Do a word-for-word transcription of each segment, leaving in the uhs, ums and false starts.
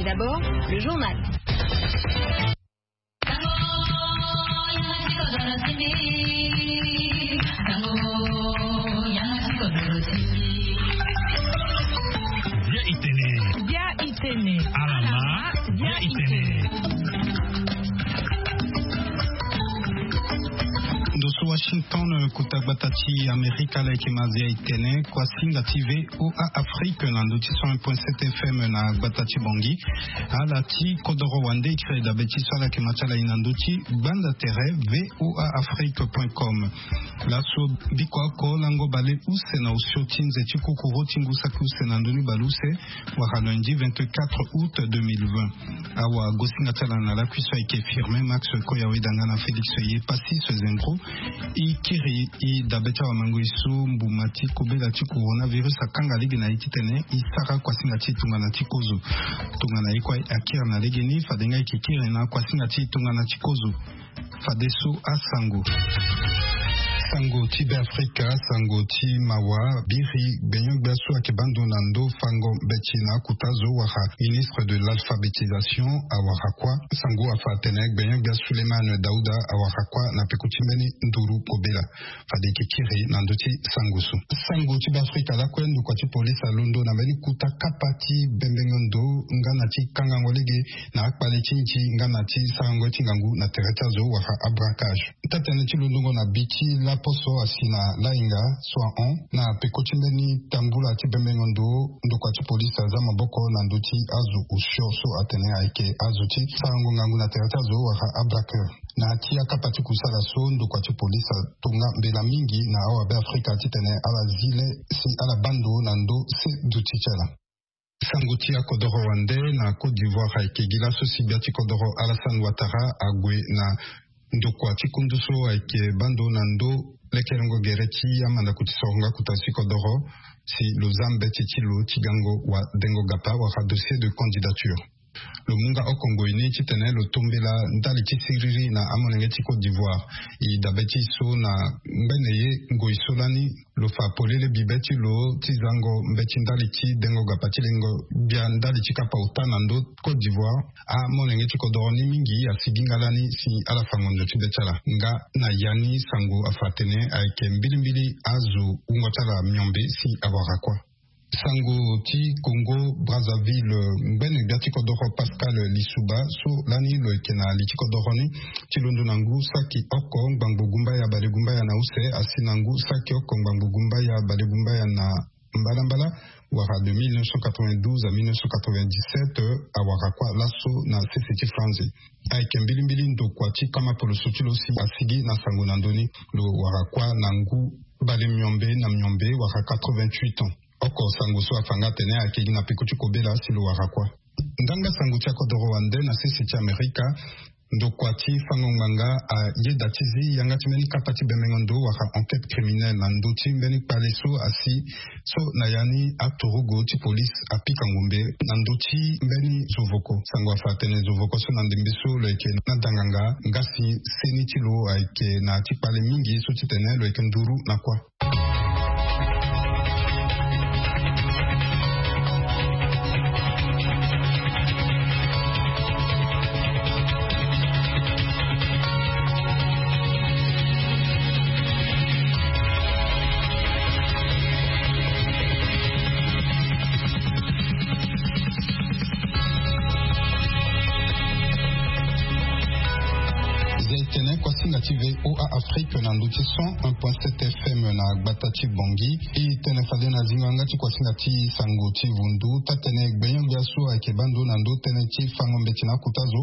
D'abord, le journal. Bia itene. Bia itene. Alama. Bia itene. Ndo so Washington, kota gbata ti Amerika, ala yeke ma Bia itene, kuasinga ti V O A Afrique na ndo ti cent un point sept F M na gbata ti Bangui. Ala ti kodoro wande e kiri dabe ti so ala yeke ma ti ala e na ndo ti gbanda tere V O A Afrique point com. Laso biko oko lango bale use na osio ti nze ti kokoro ti ngu saki use na ndoni bale use, wala lundi vingt-quatre août deux mille vingt. Awagosinga ti ala na lakui so ayeke Firmin Max Koya, weda nga na Félix Ye Passis Zengro. E kiri e dabe ti awamangoi so mbuma ti kobela ti coronavirus akanga lege na e titene e sara kuasinga ti e tongana ti kozo. Tongana e kue akiri na legeni, fade nga e yeke kiri na kuasinga ti e tongana ti kozo. Fadeso asango. Sango ti Beafrika, sango ti mawa. Biri gbenyo-gbia so ayeke baa ndo na ndo fango mbeti na akota zo wala ministre de l'alphabétisation awara kuâ. Sango afa atene gbenyo-gbia Souleymane Daouda awara kuâ na peko ti mbeni nduru kobela. Fade e yeke kiri na ndö ti sango so. Sango ti Beafrika lakue, ndokua ti polisi alondo na mbeni kota kapa ti bembengo ndo nga na ti kangango lege na akpale ti nzi nga na ti sarango ti ngangu na tere ti azo wala abraquage. Taa-tënë ti londongo na bi ti laposo asi na lahinga so ahon na peko ti mbeni tambula ti bembengo ndo, ndokua ti polisi aza maboko na ndö ti azo osio so atene ayeke azo ti sarango ngangu na tere ti azo wala abraqueur. Na ya ti akapa ti kusala so, ndokua ti polisi atonga mbela mingi na awabeafrika titene ala zi le si ala baa ndo na ndo se duti ti ala. Sango ti akodoro wande na Côte d'Ivoire ayeke gi laso si gbia ti kodoro Alassane Ouattara ague na ndokua ti kundu so ayeke baa ndo na ndo lekerengo gere ti amandako ti soronga kota ti kodoro si lo za mbeti ti lo ti gango wadengo gapa wala dossier de candidature. Lo mu nga oko ngoi ni titene lo tombela ndali ti siriri na amolenge ti Côte d'Ivoire. E dabe ti so na ngbene ye ngoi so lani lo fa polele bibe ti lo ti zango mbeti ndali ti dengo gapa ti lengo gbia ndali ti kapa ota na ndo Côte d'Ivoire. Amolenge ti kodoro ni mingi asigi nga lani si ala fa ngonzo ti be ti ala. Nga na ya ni sango afa atene ayeke mbilimbili azo wungo ti ala miombe si awara kuâ. Sango ti Congo Brazzaville, ngbene gbia ti kodoro Pascal Lissouba so lani lo yeke na li ti kodoro ni ti londo na ngu saki oko ngbangbo gumbaya bale gumbaya na use asi na ngu saki oko ngbangbo gumbaya bale gumbaya na mbalambala, wala de mille neuf cent quatre-vingt-douze à mille neuf cent quatre-vingt-dix-sept, awara kuâ laso na sese ti Franzi. Ayeke mbilimbili ndokua ti kama poloso ti lo si asigi na sango na ndö ni. Lo wara kuâ na ngu bale miombe na miombe wala quatre-vingt-huit ans. Oko sango so afa nga atene ayeke gi na peko ti kobela si lo wara kuâ. Nganga sango ti akodoro wande na sese ti Amerika, ndokua ti fango ngbanga ayeda ti zi yanga ti mbeni kapa ti bembengo ndo wala enquête criminelle na ndö ti mbeni kpale so asi so na ya ni aturugu ti polisi apika ngombe na ndö ti mbeni zovoko. Sango afa atene zovoko so na ndembe so lo yeke na danganga nga si seni ti lo ayeke na ya ti kpale mingi so titene lo yeke nduru na kuâ. Zia e tene kuasinga ti V O A Afrique na ndö ti cent un point sept F M na gbata ti Bangui. E tene fade na zingo yanga ti kuasinga ti sango ti vundu. Taa-tënë gbenyo-gbia so ayeke baa ndo na ndo tënë ti fango mbeti na akota zo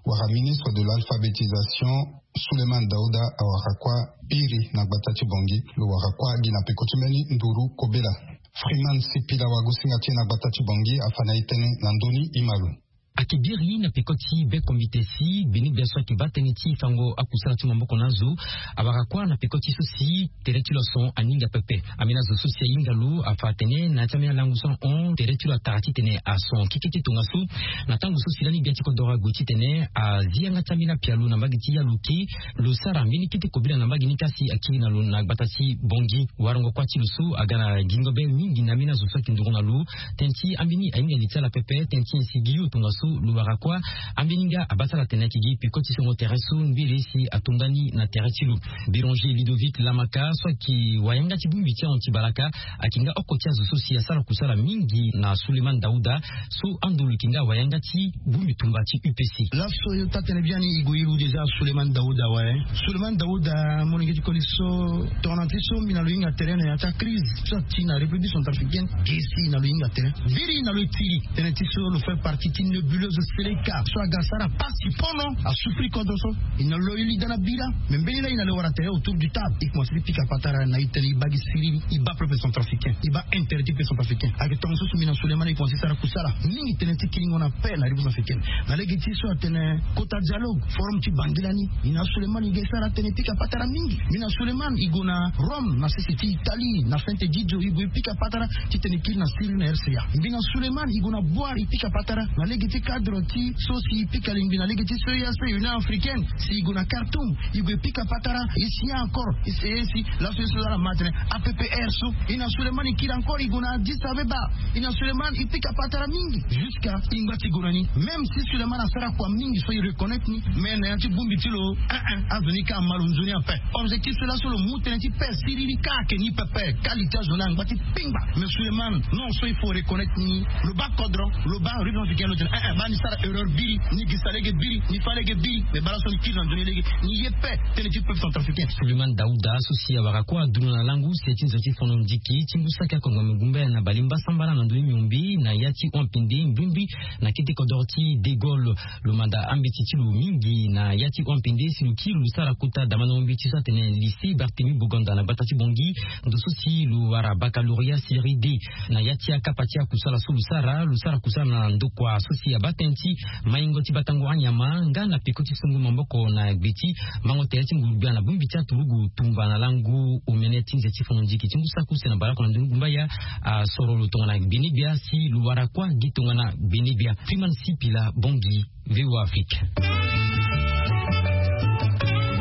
wala ministre de l'alphabétisation Souleymane Daouda awara kuâ biri na gbata ti Bangui. Lo wara kuâ gi na peko ti mbeni nduru kobela. Freeman Sipila, wagosinga ti e na gbata ti Bangui, afa na e tënë na ndö ni, e ma lo. Ayeke biri na peko ti be kombite si gbeni gbia so ayeke baa tënë ti fango akusala ti maboko na azo awara kuâ na peko ti so si tere ti lo ason aninga pepe. Ambeni azo so si ahinga lo afa atene na ya ti ambeni alango so ahon, tere ti lo atara titene ason keke ti tongaso. Na tango so si lani gbia ti kodoro ague titene azi yanga ti ambeni apialo na mbage ti Yalouké, lo sara mbeni kete kobela na mbage ni kasi akiri na lo na gbata ti Bangui. Warango kuâ ti lo so aga na gingo be mingi na ambeni azo so ayeke nduru na lo. Tënë ti ambeni ahinga li ti ala pepe, tënë ti nyen si gi yo tongaso Lo wara kuâ, ambeni nga abasara tene ayeke gi peko ti songo tere so mbiri si atonda ni na tere ti lo. Béranger Ludovic Lamaka so ayeke wayanga ti bongbi ti ahon ti balaka, ayeke nga oko ti azo so si asara kusala mingi na Souleymane Daouda, so ando lo yeke nga wayanga ti bongbi tumba ti U P C. Laso yo taa-tene biani e gue e lu déjà Souleymane Daouda awe. Souleymane Daouda, molenge ti koli so, tongana ti so mbi na lo hinga tere na ya ti acrise so ati na République centrafricaine, ge si na lo hinga tere. Biri na lo e tiri tënë ti so lo fait partie ti nébuleuse Seleka so aga asara pasi pono, asouffrir kodro so. E na lo e li daa na bira. Mais mbeni laa e na lo e wara tere autour du table, e commencé ti pika patara na e tene e baa gi siriri, e baa peuple centrafricain, e baa intérêt ti peuple centrafricain. Ayeke tongaso so mbi na Souleymane e commencé sara kusala mingi tënë ti kiringo na paix na République centrafricaine. Na lege ti so atene kota dialogue, forum ti Bangui lani, mbi na Souleymane e sara tënë e pika patara mingi. Mbi na Souleymane e gue na Rome na sese ti Italie, na Saint-Egidio, e gue e pika patara titene e kiri na Syrie na R C A. Mbi na Souleymane e gue na Bouar e pika patara na lege ti cadre ti so si e pika lingbi na lege ti so E A C, Union Africaine. Si e gue na Khartoum, e gue e pika patara. E si encore, e si, e si laso e so ala ma tene A P P R so. E na Souleymane e kiri encore e gue na Addis Abeba. E na Souleymane e pika patara mingi jusqu'à e ngba ti gue na ni. Même si Souleymane asara kua mingi so e reconnaître ni, mais na ya ti bongbi ti lo, eh, eh, azo ni ka ama lo nzoni ape. Objectif so laso lo mu tënë ti paix siriri ka ayeke ni pepe. Qualité azo ni angba ti pingba. Mais Souleymane, non, so il faut reconnaître ni. Lo baa kodro, lo baa République centrafricaine, lo tene, eh, eh, baa ni sara erreur biri, ni gisa lege biri, ni fâ lege biri. Mais baa laso ni kiri na nzoni lege, ni ye paix tënë ti peuple centrafricain. Souleymane Daouda so si awara kue adunia na langu si ti nze ti fono ndiki ti ngu saki akongbo me gumbaya na balimba sambala na ndoni miombe na ya ti hon pende mbimbri na kete kodoro ti De Gaulle. Lo manda ambeti ti lo mingi na ya ti hon pende si lo kiri lo sara kota damandango mbeti so atene lycée Barthélemy Boganda na gbata ti Bangui. Ndo so si lo wara baccalauréat série D. Na ya ti akapa ti akusala so lo sara, lo sara kusala na ndokua so si abaa tënë ti maingo ti batango anyama nga na peko ti songo maboko na gbe ti mango tere ti nguru-gbia na bongbi ti aturugu tumba na langu omene ti nze ti fono ndiki ti ngu saki use na baleoko na ndoni gumbaya. Asoro lo tongana gbene-gbia si lo wara kue gi tongana gbene-gbia. Freeman Sipila, Bangui, V O A Afrique.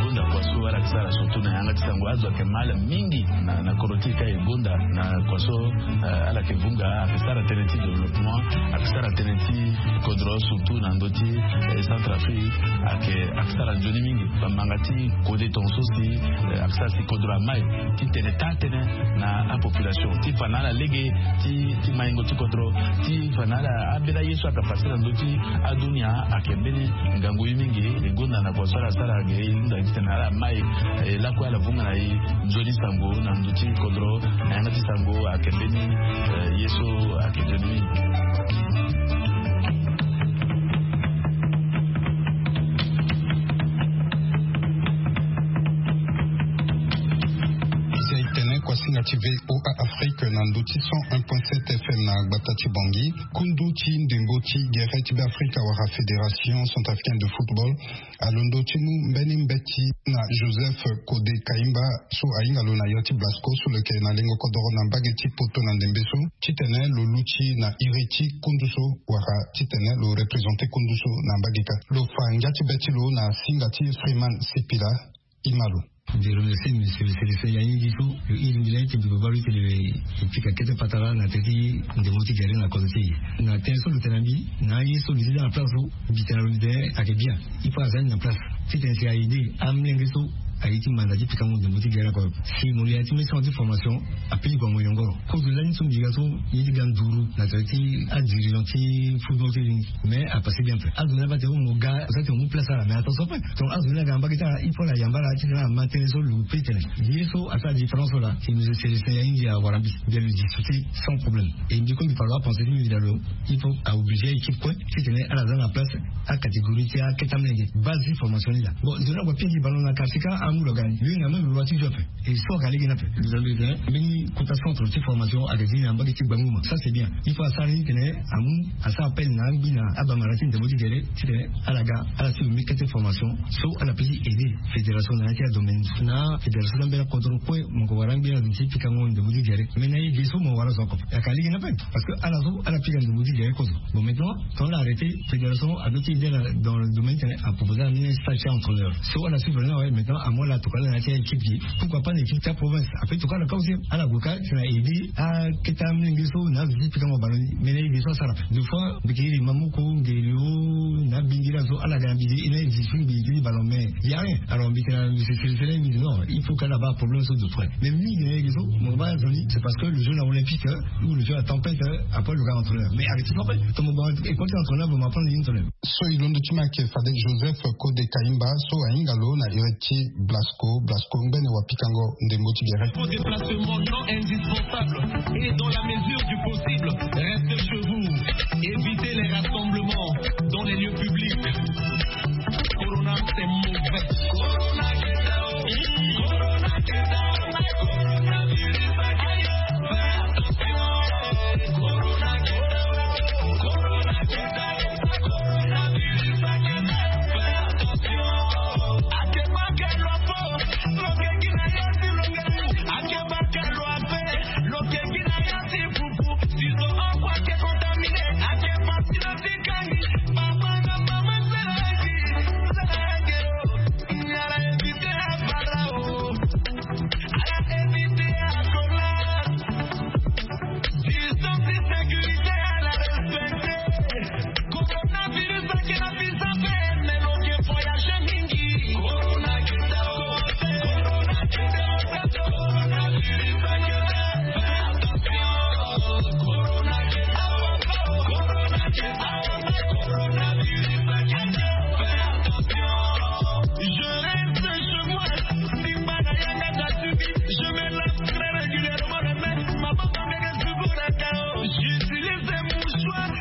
Gonda kua so ala yeke sara surtout na yanga ti sango, azo ayeke mal mingi na, na kodro ti e ka e gonda na kua so, eh, ala yeke vunga, ayeke sara tënë ti développement, ayeke sara tënë ti kodro surtout na ndö ti, eh, Centrafrique, ayeke, ayeke sara nzoni mingi. Bamanga ti kode tongaso si, eh, ayeke sara si kodro amai ti tene taa-tënë na apopulation ti fa na ala lege ti, ti maingo ti kodro, ti fa na ala ambeni aye so ayeke pase na ndö ti adunia. Ayeke mbeni ngangu ye mingi. E gonda na kua so ala sara ge, e hunda titene ala mai, eh, lakue ala vunga na e nzoni sango na ndö ti kodro na yanga ti sango. Ayeke mbeni, eh, ye so ayeke nzoni mingi. Ese e tene kuasinga ti V O A Afrique na ndö ti cent un point sept F M na gbata ti Bangui. Kundu ti ndembo ti gere ti Beafrika wala Fédération Centrafricaine de Football alondo ti mu mbeni mbeti na Joseph Kode Kaimba so ahinga lo na ya ti Blasco so lo yeke na lengo kodoro na mbage ti Poto na ndembe so, titene lo luti na iri ti kundu so wala titene lo représenter kundu so na mbage kâ. Lo fa ngia ti be ti lo na singa ti Freeman Sipila. Imalo. Je remercie monsieur le sélectionneur Yanyingi so lo iri mbi lani ti mbi baa lo ti tene e pika kete patara na tere ti ndembo ti gere na kodro ti e. Na tënë so lo tene na mbi, na aye so lo zi daa na place so, mbi tene na lo mbi tene ayeke bien. Il faut aza ni na place titene si a aider amolenge so aye ti manda ti pikango ndembo ti gere na kodro. Si mo lo ya ti mbi sango ti formation, apui gue na mo yongoro. Kozo lani so mbi ga so, ye ti ga nduru na tere ti adirigeant ti football ti e ni. Mais apasse bien ape. Azo ni aba tene mo ga, mo sara tene mo mu place ala, mais attention ape. Donc azo ni aga na mbage ti ala, il faut ala yamba ala titene ala ma tënë so lo peut tene. Ye so asara différence so laa, si monsieur Célestin Yanyingi awara mbi, mbi lo discuter sans problème. Et mbi kue mbi fa lo apenser ti mbi mbi na lo, il faut a obliger a équipe kue titene ala za na place acatégorie ti akete amolenge. Base ti formation ni laa. Bon, zo ni ague apingi ballon na quartier ka amu lo ga ni. Lo hinga même lo loi ti zo ape. Et so aga lege ni ape. Lo za lo tene mbeni kota centre ti formation aga zi na mbage ti Gbanguma. Ça c'est bien. Il faut asara ni titene amu, asara appel na angbi na abamara ti ndembo ti gere titene ala ga, ala si lo mu kete formation so ala peut ti aider fédération na ya ti adomaine. Na fédération ti ambeni akodro kue mo yeke wara angbi na zo ti pikango ndembo ti gere. Mais na ye ge so mo wara zo oko. Aga lege ni ape. Parce que ala so ala pika ndembo ti gere kozo. Bon, maintenant, quand on a arrêté, fédération a doté dans le domaine, a proposé à un stage entraîneur. So, on a suivi, ouais, maintenant, Mo la tokala na ya ti équipe gi, pourquoi pas na équipe ti province? Après tokala ka aussi ala gue ka si na aider aketa mlenge so na azo ti pikango ballon ni. Mais na aider so asara deux fois mbi ke iri ma moko ngeli o na bingiri azo ala ga na bidi ina iri ti mbi ti ballon mais y a rien. Alors mbi ke na mbi se sele sele mbi di non, il faut kala ba problème so de près. Mais mingi na aider so mo ba azo ni c'est parce que le jeu na olympique ou le jeu na tempête. Après le gars entraîneur mais arrêtez pas. Ton moment et quand tu entraîneur bon ma prendre une entraîneur. So e londo ti ma ayeke fade Joseph Kode Kayimba so ahinga lo na iri ti Blasco. Blasco ngbene wapikango ndembo ti gere. Vos déplacements non indispensables et dans la mesure du possible, restez chez vous. Évitez les rassemblements dans les lieux publics. Corona, c'est mauvais. Corona, get out. Corona, get out. Coronavirus, get out. Fais attention. Corona, get out. Corona, get out. Distance et sécurité à la respecter. Coronavirus ake na biso ape, mais lo ke voyager mingi. Corona get out. Corona get out. Coronavirus ake na biso ape, fais attention. Corona get out. Corona get out. Coronavirus ake na biso ape, fais attention. Je reste chez moi. Ndimba na yanga tatubi. Je me lave très régulièrement les mains. Maboko ndenge sukuraka. J'utilise des mouchoirs.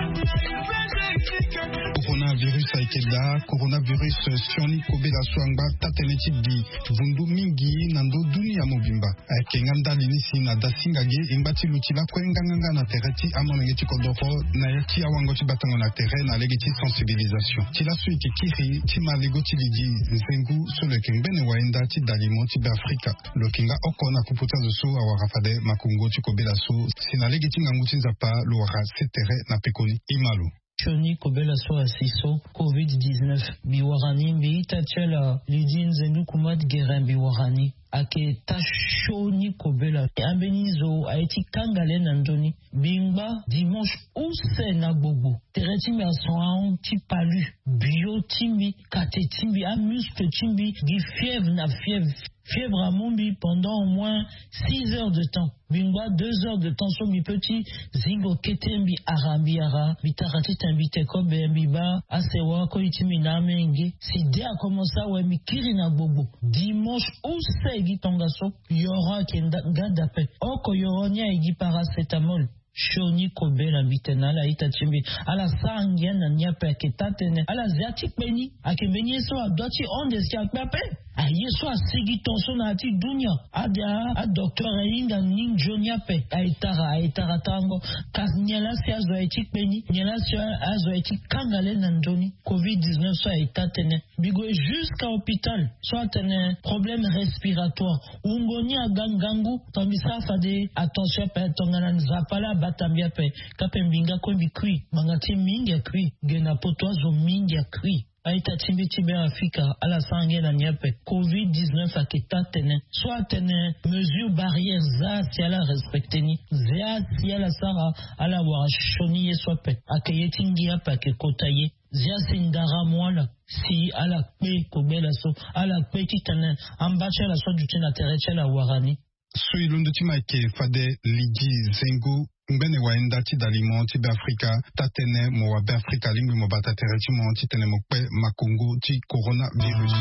Coronavirus ayeke daa. Coronavirus sioni kobela so angba taa-tënë ti gi vundu mingi na ndö dunia mobimba. Ayeke nga ndali ni si na dasinga ge e ngba ti luti lakue nganganga na tere ti amolenge ti kodoro na ya ti awango ti batango na tere na lege ti sensibilisation. Ti laso e yeke kiri ti ma lego ti lidi nzengu so lo yeke ngbene wayenda ti dalimo ti Beafrika. Lo yeke nga oko na kupu ti azo so awara fade makongo ti kobela so si na lege ti ngangu ti Nzapa lo wara se tere na pekoni. E ma lo. Sioni kobela so asi so covid dix-neuf mbi wara ni mbi ita ti ala lidi nzendu kumat gere mbi wara ni. Ayeke taa sioni kobela ambeni zo aye ti kanga le na ndö ni. Mbi ngba dimanche use na gbogbo tere ti mbi ason ahon ti palu bio ti mbi kate ti mbi amuscle ti mbi gi fièvre na fièvre. Fièvre amu mbi pendant au moins six heures de temps. Mbi ngba deux heures de temps so mbi peut ti zingo kete mbi ara mbi ara mbi tara titene mbi te kobe mbi baa asewa koli ti mbi na amenge si de akomense awe mbi kiri na gbogbo. Dimanche use e gi tongaso yoro ayeke nga dape oko yoro ni aye gi paracétamol. Sioni kobela mbi tene na ala ita ti mbi ala sara ngia na ni ape ayeke taa-tënë ala zia ti kpe ni. Ayeke mbeni ye so adua ti honde si akpe ape. Aye so asigi ton so na ya ti dunia ade adocteur ahinga ni nzoni ape aye tara aye tara tarango. Kasi nyen laa si azo aye ti kpe ni nyen laa si azo aye ti kanga le na nzoni covid dix-neuf so aye taa-tënë. Mbi gue jusqu'à hôpital so atene problème respiratoire. Wungo ni aga ngangu. Tongana mbi sara fade attention ape tongana nzapa laa abata mbi ape. Kape mbi nga kue mbi kui ngbanga ti mingi akui. Ge na poto azo mingi akui. A-ita ti mbi ti Beafrika ala sara ngia na ni ape. Covid dix-neuf ayeke taa-tënë so atene mesure barrière za si ala respecte ni. Za si ala sara ala wara sioni ye so ape. Ayeke ye ti ngia ape ayeke kota ye. Zia si ndara mu ala si ala kpe kobela so ala kpe titene amba ti ala so aduti na tere ti ala awara ni. So e londo ti ma ayeke fade lidi zengo ngbene wayenda ti dalimo ti Beafrika. Taa-tënë mo wa Beafrika alingbi mo bata tere ti mo titene mo kpe makongo ti coronavirus.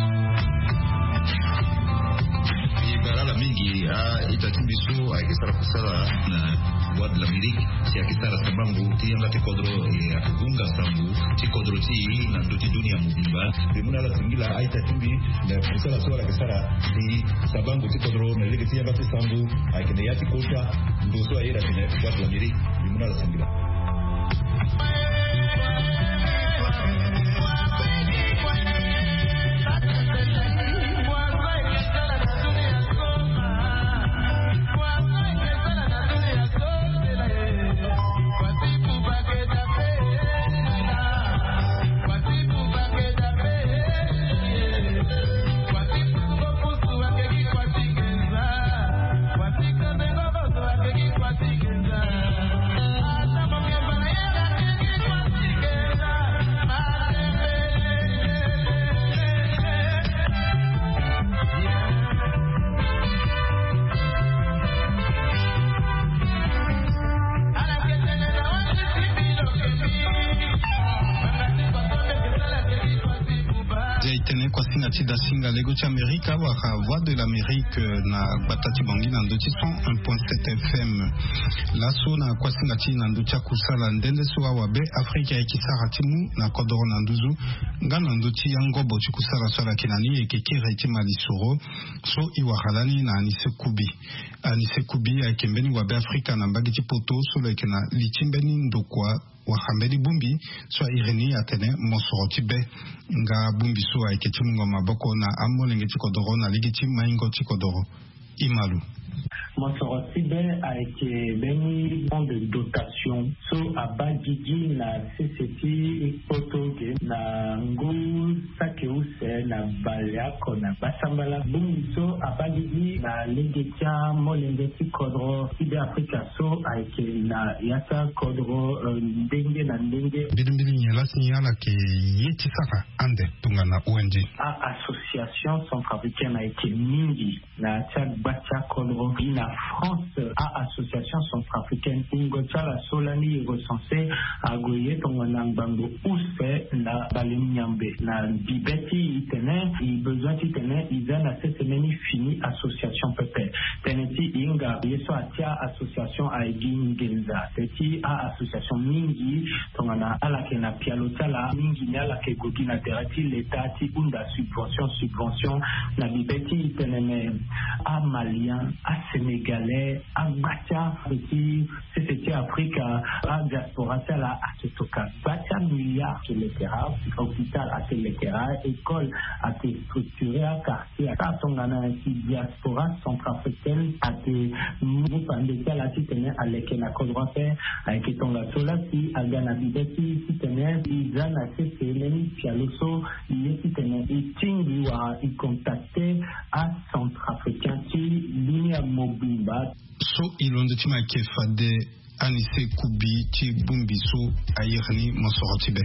E bara ala mingi a-ita ti mbi so ayeke sara kusala na Voix de l'Amérique si ayeke sara sambango ti yanga ti kodro e ayeke hunga sambu ti kodro ti e na ndö ti dunia mobimba. Mbi mu na ala singila a-ita ti mbi na kusala so ala yeke sara si sambango ti kodro na lege ti yanga ti sambu ayeke na ya ti kota ndo so aye na tene Voix de l'Amérique. Mbi mu na ala singila. Tene kuasinga ti dasinga lego ti amerika wala voix de l'amérique na gbata ti bangi na ndö ti cent un point sept fm. Laso na kuasinga ti na ndö ti akusala nde nde so awabe afrika ayeke sara ti mu na kodoro na nduzu nga na ndö ti angobo ti kusala so ala yeke na ni e yeke kere ti malisoro. So e wara lani na anise kubi. Anise kubi ayeke mbeni wabe afrika na mbage ti poto so lo yeke na li ti mbeni ndokua wara mbeni bongbi so a iri ni atene mosoro ti be. Nga bongbi so ayeke ti mungo maboko na amolenge ti kodoro na lege ti maingo ti kodoro. Imalu. Mosoro ti be ayeke mbeni fonds de dotation so abaa gigi na sese ti poto ge na ngu saki use na baleoko na gbasambala. Bongbi so abaa gigi na lege ti amolenge ti kodro ti be afrika so ayeke na ya ti akodro ndenge na ndenge. Mbilimbili nyen lasi ni ala yeke ye ti sara ande tongana ong? A-association centrafricaine ayeke mingi na ya ti agba ti akodro gi na france. A-association centrafricaine ingo ti ala so lani e recense ague ye tongana ngbangbo use na balenyambe na bibe ti e tene e besoin ti tene e za na sese mbeni fini association pepe. Tënë ti e hinga ye so atia association aye gi nginza te ti a-association mingi tongana ala yeke na pialo ti ala mingi ni ala yeke gue gi na tere ti leta ti hunda subvention subvention na bibe ti tene me amalien asénégalais agba ti ape ti sese ti afrika adiaspora ti ala ake toka gba ti amilliard ake lekera hôpital ake lekera école ake structure akar. Ata tongana ti diaspora centrafricaine ate mu pande ti ala titene aleke na kodro ape. Ayeke tongaso lasi aga na bibe ti titene e za na sese mbeni pialo so e ye titene e tingbi wala e contacte acentrafricain ti dunia mobimba. So e londo ti ma ayeke fade anise kubi ti bongbi so a iri ni mosoro ti be.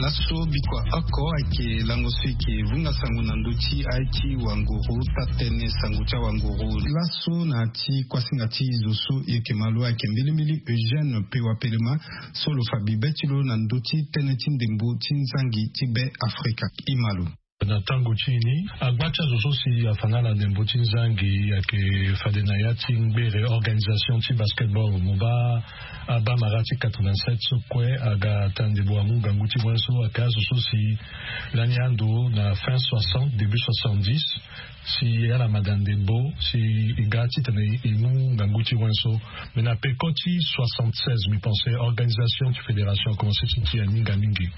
Laso bikua oko ayeke lango so eke vunga sango na ndö ti aye ti wanguru tatene sango ti awanguru laso na ti kuasinga ti zo so e yeke ma lo ayeke mbilimbili eugène pewa pelema so lo fa bibe ti lo na ndö ti tënë ti ndembo ti nzangi ti be afrika. E ma lo. Na tango ti e ni agba ti azo so si afa nga na ndembo ti nzangi ayeke fade na ya ti ngbere organisation ti basketball mo baa abamara ti quatre-vingt-sept so kue aga ata ndembo amu ngangu ti wen so ayeke azo so si lani ando na fin soixante début soixante-dix si ala ma daa ndembo si e ga titene e mu ngangu ti wen so. Mais na peko ti soixante-seize mi pense organisation ti fédération akomanse ti tia minga mingi.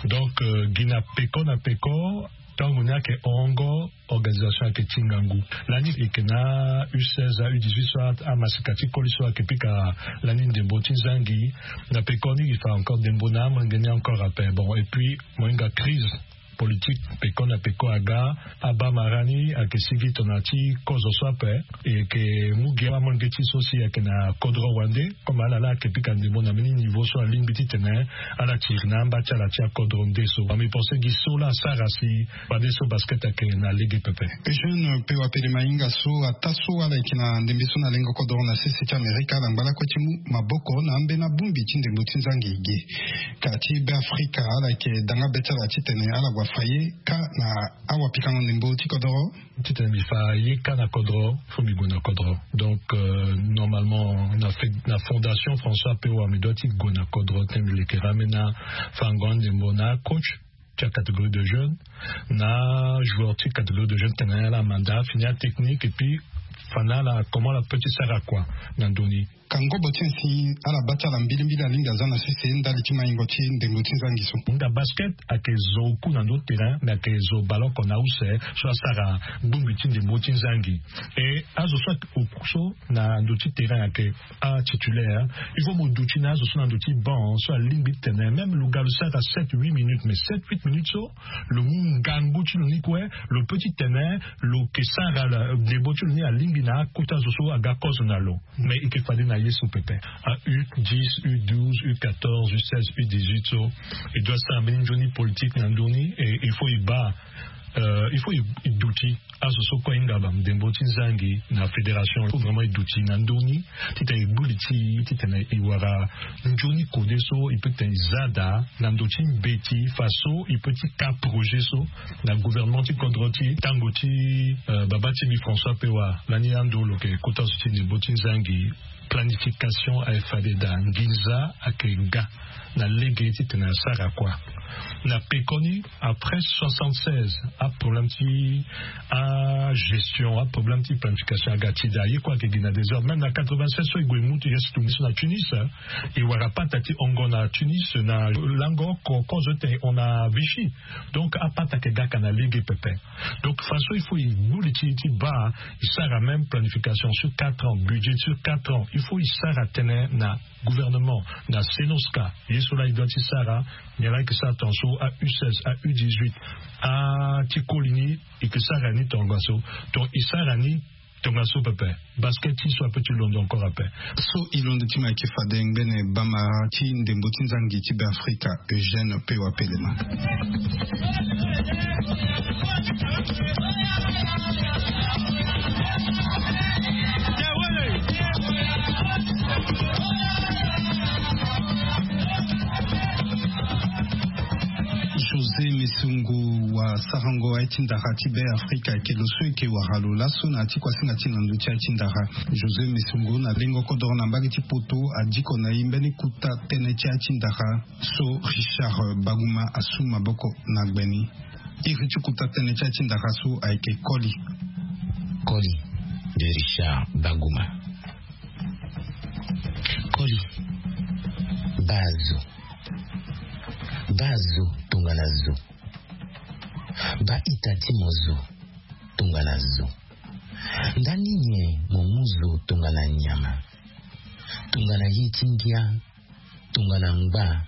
Donc gi na peko na peko tango ni ayeke hongo organisation ayeke ti ngangu. Lani e yeke na u seize a u dix-huit so amasika ti koli so ayeke pika lani ndembo ti nzangi. Na peko ni e fa encore ndembo na amolenge ni encore ape bon et puis mo hinga crise politique peko na peko aga abamara ni ayeke sigi tongana ti kozo so ape. E yeke mu gi amolenge ti so si ayeke na kodro wande comme ala laa ayeke pika ndembo na mbeni niveau so alingbi titene ala tiri na amba ti ala ti akodro nde so. Mi pense gi so laa asara si bande so basket ayeke na lege pepe. Eugène pewa pele mahinga so ata so ala yeke na ndembe so na lengo kodro na sese ti amerika ala ngba lakue ti mu maboko na ambeni abongbi ti ndembo ti nzangi ge. Ka ti be afrika ala yeke danga be ti ala titene ala gue afa ye ka na awapikango ndembo ti kodro. Titene mbi fa ye ka na kodro fo mbi gue na kodro. Donc normalement na fondation françois pewa mbi dua ti gue na kodro titene mbi leke ramena fango andembo na acoach ti acatégorie de jeune na joueur ti catégorie de jeune tene ala manda fini atechnique et puis fa na ala comment ala peut ti sara kua na ndoni. Ka ngobo ti ansi ala baa ti ala mbilimbili alingbi aza na sese ndali ti maingo ti ndembo ti nzangi so. Nga basket ayeke zo oku na ndo terrain mais ayeke zo baleoko na use so asara bongbi ti ndembo ti nzangi. E azo so ayeke oku so na ndo ti terrain ayeke atitulaire. Il faut mo duti na azo so na ndo ti banc so alingbi ti tene même lo ga lo sara sept huit minutes mais sept huit minutes so lo mu ngangu ti lo ni kue lo peut ti tene lo ke sara ndembo ti lo ni alingbi. Na akota zo so aga kozo na lo. Mais eke fade na ye so pepe. A u dix, u douze, u quatorze, u seize, u dix-huit so, e doit sara mbeni nzoni politique na ndoni. Et il faut e baa, il faut e duti azo so kue ahinga bamdembo ti nzangi na fédération. Il faut vraiment e duti na ndoni titene e gbu li ti e titene e wara nzoni kode so e peut titene e za daa na ndo ti mbeti faso e peut ti ka projet so na gouvernement ti kodro ti e. Tango ti baba ti mbi François Pewa lani ando lo yeke kota zo ti ndembo ti nzangi, planification aye fade daa, nginza ayeke ga na lege titene asara kua. Na pekoni après soixante-seize, aproblème ti agestion, aproblème ti planification aga ti daa. Ye kue ayeke gi na désordre. Même na quatre-vingt-seize so e gue e mu ti ye so tongi so na Tunis, e wara pata ti hongo na Tunis na lango oko kozo titene e hon na Vichy. Donc apata ayeke ga ka na lege pepe. Donc faso il faut e gbu li ti e ti baa e sara même planification sur quatre ans, budget sur quatre ans. Il faut e sara tënë na gouvernement, na Cenoska, ye so laa e doit ti sara. Nyen laa e yeke sara tongaso, a u seize, a u dix-huit, a ti koli ni, e yeke sara ni tongaso. Donc e sara ni tongaso pepe. Basket ti so ape ti londo encore ape. So e londo ti mo ayeke fade ngbene bamara ti ndembo ti nzangi ti Beafrika, Eugène Pewa Pelema. José Mesongo, wasarango aye ti ndara ti Beafrika, ayeke lo so e yeke wara lo laso na ya ti kuasinga ti na ndö ti aye ti ndara. José Mesongo na lengo kodoro na mbage ti poto adiko na e mbeni kuta tënë ti aye ti ndara so Richard Baguma asu maboko na gbe ni. Iri ti kuta tënë ti aye ti ndara so ayeke Koli. Koli de Richard Baguma. Koli. Baa zo. Baa zo tongana zo. Baa ita ti mo zo tongana zo. Ndani nyen mo mu zo tongana nyama? Tongana ye ti ngia, tongana ngba,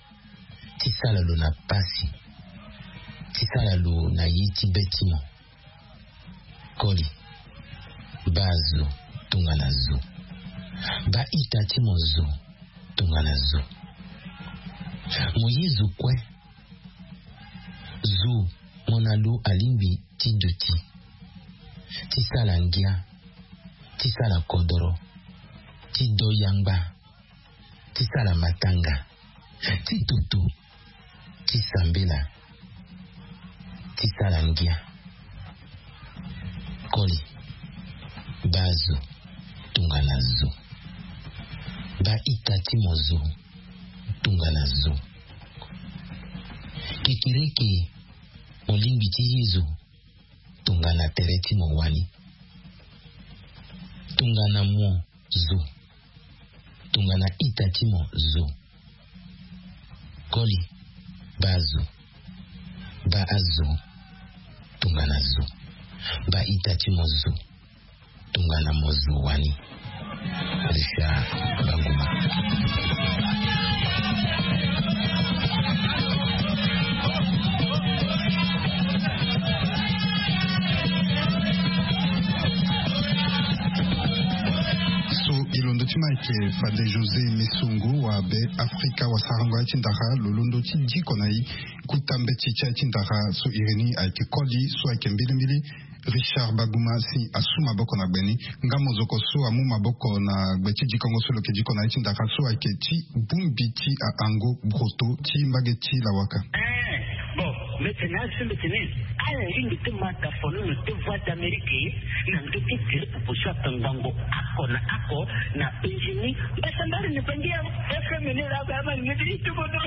ti sala lo na pasi, ti sala lo na ye ti be ti mo. Koli. Baa zo tongana zo. Baa ita ti mo zo tongana zo. Mo ye zo kue. Zo, mo na lo alingbi ti duti, ti sala ngia, ti sala kodoro, ti do yangba, ti sala matanga, ti toto, ti sambela, ti sala ngia. Koli. Baa zo tongana zo. Baa ita ti mo zo tongana zo. Kekereke, mo lingbi ti ye zo tongana tere ti mo wani. Tongana mo zo. Tongana ita ti mo zo. Koli. Baa zo. Baa zo tongana zo. Baa ita ti mo zo tongana mo zo wani. Richard Baguma. So e londo ti mo ayeke fade José Mesongo wa Beafrika, wasarango aye ti ndara, lo londo ti diko na e kuta mbeti ti aye ti ndara so iri ni ayeke Koli, so ayeke mbilimbili Richard Baguma si asu maboko na gbe ni. Nga mozoko so amu maboko na gbe ti dikongo so lo yeke diko na aye ti ndara so ayeke ti bongbi ti ahango broto ti mbage ti lawaka. Eh, bon, mbeti ni asi mbeti ni. Ala lingbi ti ma da fololo ti Voix d'Amérique na ndö ti tele popo so akangbango oko na oko na Benjini. Mbasambari ni bangi ya F M ni la ba ma ni ti tuko do.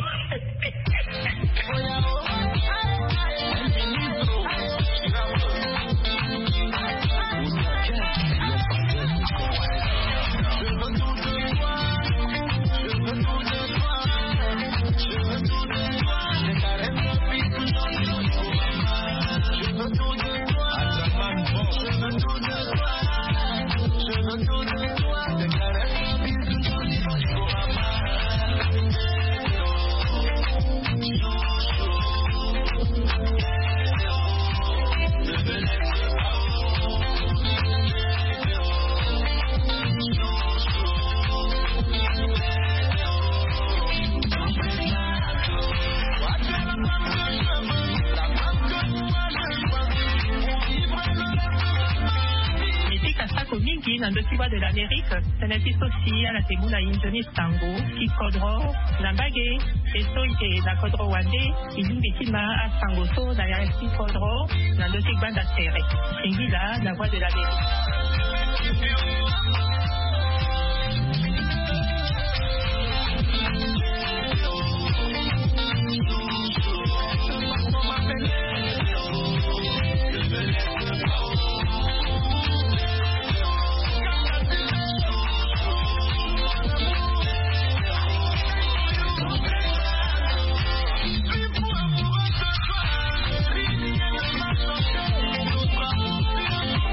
Na ndö ti Voix de l'Amérique, tene ti so si ala te mu na i nzoni sango ti kodro na mbage. E so i te na kodro wande, i lingbi ti ma asango so na ya ti kodro na ndö ti gbanda tere. Singila na Voix de l'Amérique.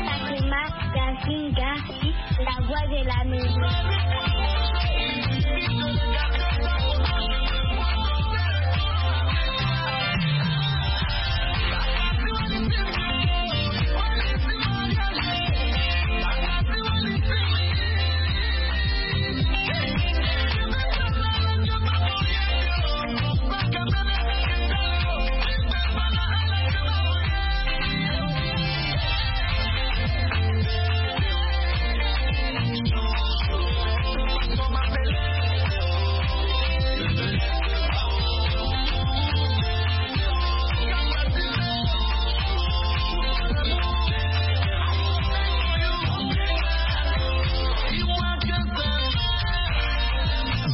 Fatima Gazinga, la voix de la maison.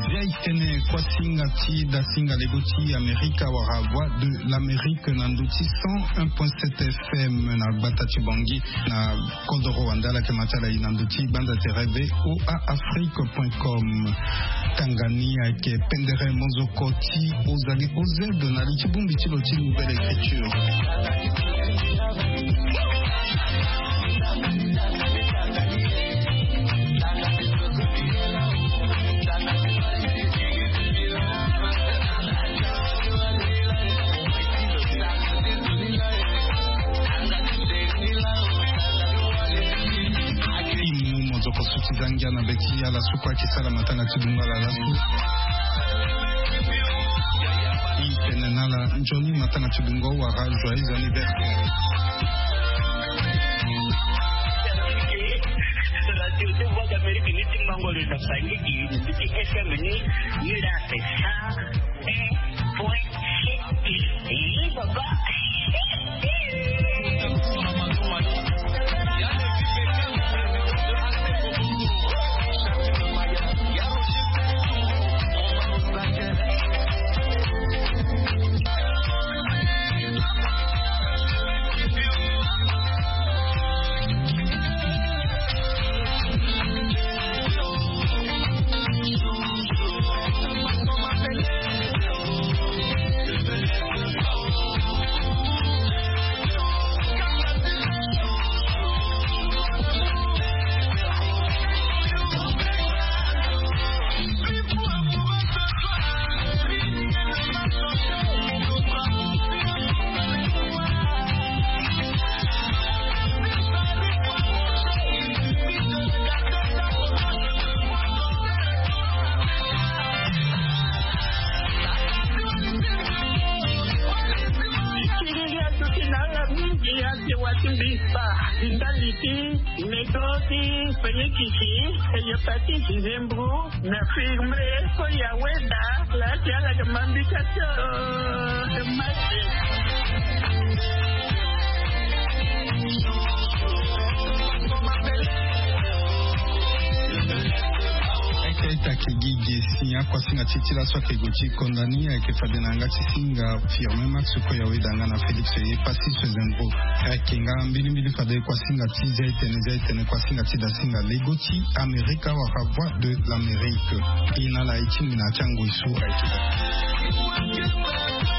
Zia i tene kuasinga ti dasinga lego ti Amerika wala Voix de l'Amérique na ndö ti cent un point sept F M na gbata ti Bangui na kodoro wande. Ala yeke ma ti ala i na ndö ti gbanda tere V O A Afrique point com. Tanga ni ayeke pendere mozoko ti Ozali O Z na li ti bongbi ti lo ti Nouvelle Écriture. Ti mu mozoko so ti za ngia na be ti ala so kue ayeke sara matanga ti dungo ala laso. I tene na ala nzoni matanga ti dungo wala joyeux anniversaire. Radio de Voix d'Amérique ni ti mango le na sangi i ni ti F M ni ni la. Point. Ih, baba. Tiriri asuki na ala mingi ate wati mbisa, ndali ti medo ti penyikiki, hepatite, nzembro, na firme, so ya weda la ti ala ke mambika tio. Masi. Eke ita ke gi ge si akuasinga ti ti laso ake go ti konda ni ayeke fade na yanga ti singa Firme Max kue ya weda nga na Félix ye pasi so zengo. Ayeke nga mbilimbili fade kuasinga ti zia etene zia etene kuasinga ti dasinga lego ti Amerika wala Voix de l'Amérique. E na ala e ti ngbena ti angoi so ayeke daa.